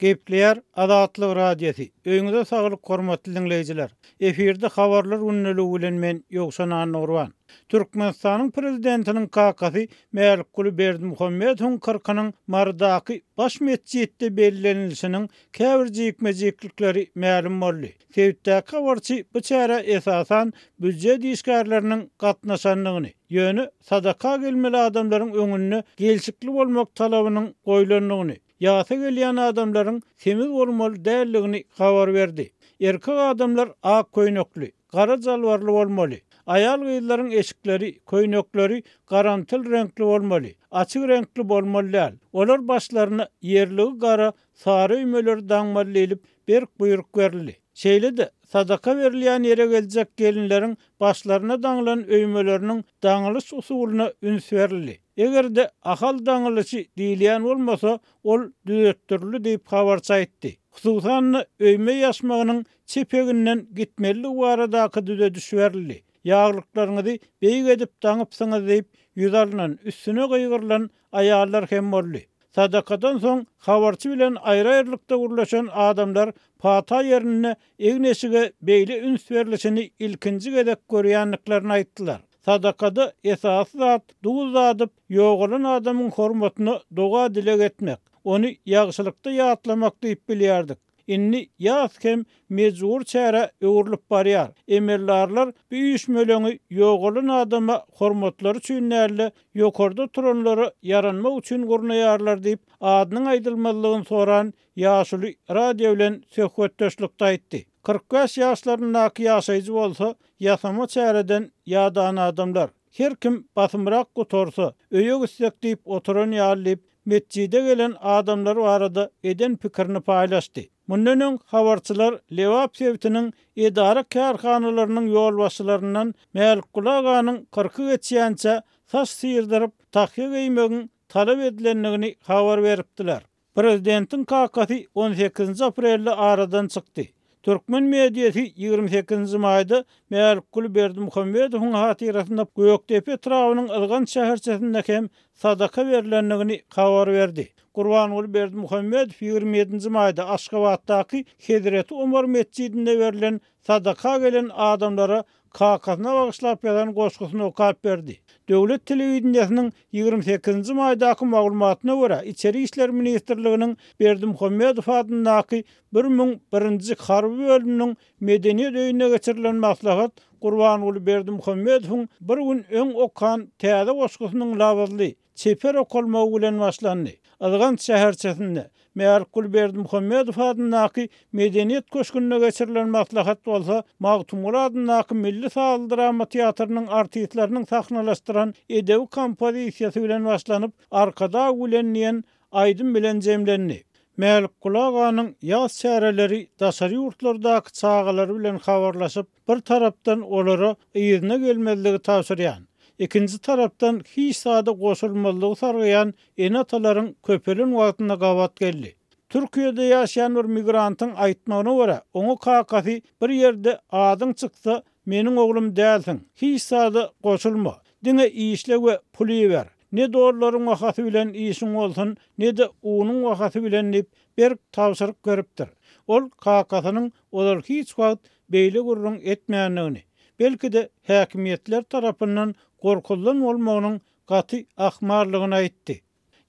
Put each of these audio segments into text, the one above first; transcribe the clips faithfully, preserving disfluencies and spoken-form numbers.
Gepleýär Azatlyk Radiosy. Öýüňize saglyk hormatly diňleýjiler. Efirde habarlar gündeligi bilen men Ýowşan Annagurban. Türkmenistanyň prezidentiniň kakasy Mälikguly Berdimuhamedowyň kyrkynyň Marydaky baş metjitde bellenilişiniň käbir jikme-jiklikleri mälim boldy. Sebitdäki habarçy bu çärä esasan býujet işgärleriniň gatnaşandygyny, ýöne sadaka gelmeli adamlaryň öňünde gelşikli bolmak talabynyň goýlandygyny, ýasa gelýän adamlaryň semiz bolmaly däldigini habar berdi. Erkek adamlar ak köýnekli, gara jalbarly bolmaly. Aýal gyzlaryň eşikleri, köýnekleri garamtyl reňkli bolmaly, açyk reňkli bolmaly däl. Olar başlaryna ýerligi gara sary öýmeleri daňmaly diýlip berk buýruk berildi. Şeýle-de sadaka berilýän ýere geljek gelinleriň başlaryna daňylan öýmeleriniň daňylyş usulyna üns berildi. Eger-de ahal daňylyşy diýilýän bolmasa, ol düzetdirildi diýip habarçy aýtdy. Hususan-da öýme ýaşmagynyň çepeginden gitmeligi baradaky düzediş berildi. Ýaglyklaryňyzy beýik edip daňypsyňyz diýip ýüz alynan, üstüne gygyrylan aýallar hem boldy. Sadakadan soň habarçy bilen aýry-aýrylykda gürleşen adamlar pata ýerinde egin-eşige beýle üns berilişini ilkinji gezek görýändiklerini aýtdylar. Sadakada esasy zat duz dadyp, ýogalan adamyň hormatyna doga dileg etmek, ony ýagşylykda ýatlamak diýip bilýärdik. Indi ýas hem mejbur çärä öwrülip barýar. Emeldarlar bu üýşmeleňi ýogalan adama hormatlary üçin däl-de, ýokarda turanlara ýaranmak üçin gurnaýarlar diýip, adynyň aýdylmazlygyny soran ýaşuly radio bilen söhbetdeşlikde aýtdy. Kyrk bäş ýaşlaryndaky ýaşaýjy bolsa, ýasama çäreden ýadan adamlar. Her kim basymrak gutarsa, öýe gitsek diýip oturan ýaly diýip, metjide gelen adamlar barada eden pikirini paýlaşdy. Mundan öň habarçylar Lebap sebitiniň edara kärhanalarynyň ýolbaşçylaryndan Mälikguly aganyň kyrky geçýänçä saç syrdyryp, tahýa geýmegiň talap edilendigini habar beripdiler. Prezidentiň kakasy on sekizinji aprelde aradan çykdy. Türkmen mediasy ýigrimi sekizinji maýda Mälikguly Berdimuhamedowyň hatyrasynda Gökdepe etrabynyň Yzgan şäherçesinde hem sadaka berilendigini habar berdi. Gurbanguly Berdimuhamedow ýigrimi ýedinji maýda Aşgabatdaky Hezreti Omar metjidinde berilen sadaka gelen adamlara kakasyna bagyşlap ýazan goşgusyny okap berdi. Döwlet telewideniýesiniň ýigrimi sekizinji maýdaky maglumatyna görä, Içeri işler ministrliginiň Berdimuhamedow adyndaky bir müň birinji harby bölüminiň medeniýet öýünde geçirilen maslahat Gurbanguly Berdimuhamedowyň bir gün öň okan täze goşgusynyň labyzly, çeper okalmagy bilen başlandy. Yzgan şäherçesinde Mälikguly Berdimuhamedow adyndaky medeniýet köşgünde geçirilen maslahat bolsa Magtymguly adyndaky Milli saz drama teatrynyň artistleriniň sahnalaşdyran edebi kompozisiýasy bilen başlanyp, Arkadag bilen diýen aýdym bilen jemlendi. Mälikguly aganyň ýaz çäreleri daşary ýurtlardaky çagalary bilen habarlaşyp, bir tarapdan olara yzyna gelmezligi tabşyrýan, ikinji tarapdan hiç zada goşulmazlygy sargaýan ene-atalaryň köpelen wagtynda gabat geldi. Türkiýede ýaşaýan bir migrantyň aýtmagyna görä, oňa kakasy bir ýerde adyň çyksa, meniň oglum dälsiň, hiç zada goşulma, diňe işle we pul iber. Ne dollaryň bahasy bilen işiň bolsun, ne-de unuň bahasy bilen diýip berk tabşyryk beripdir. Ol kakasynyň ozal hiç wagt beýle gürrüň etmändigini, belki-de häkimiýetler tarapyndan gorkulan bolmagynyň gaty ahmallygyny aýtdy.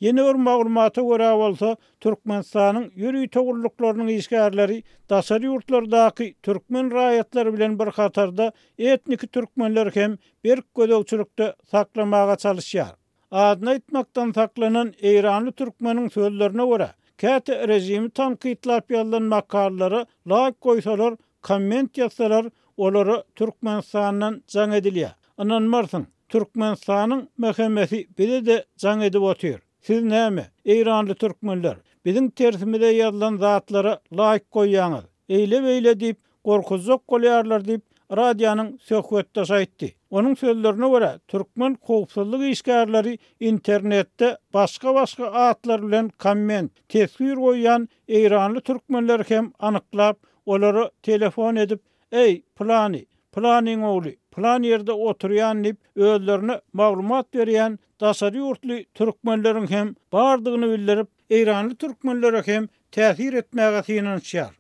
Ýene bir maglumata görä bolsa, Türkmenistanyň ýörite gulluklarynyň işgärleri daşary ýurtlardaky türkmen raýatlary bilen bir hatarda etniki türkmenler hem berk gözegçilikde saklamaga çalışýar. Adyny aýtmakdan saklanan Eýranly türkmeniň sözlerine görä, käte rejimi tankytlap ýazylan makalalara laýk goýsalar, komment ýazsalar, olara Türkmenistandan jaň edilýär. Ynanmarsyň, Türkmenistanyň M H M-si bize de jaň edip otyr. Siz näme, Eýranly türkmenler, biziň tersimize ýazylan zatlara laýk goýýaňyz. Eýle-beýle diýip gorkuzjak bolýarlar diýip radionyň söhbetdeşi aýtdy. Onuň sözlerine görä, türkmen howpsuzlyk işgärleri internetde başga-başga atlar bilen komment, teswir goýýan Eýranly türkmenler hem anyklap, olara telefon edip, Ey, plany, planyň ogly, plan ýerde oturýan diýip, özlerine maglumat berýän daşary ýurtly türkmenleriň hem bardygyny bildirip, Eýranly türkmenlere hem täsir etmäge synanyşýar.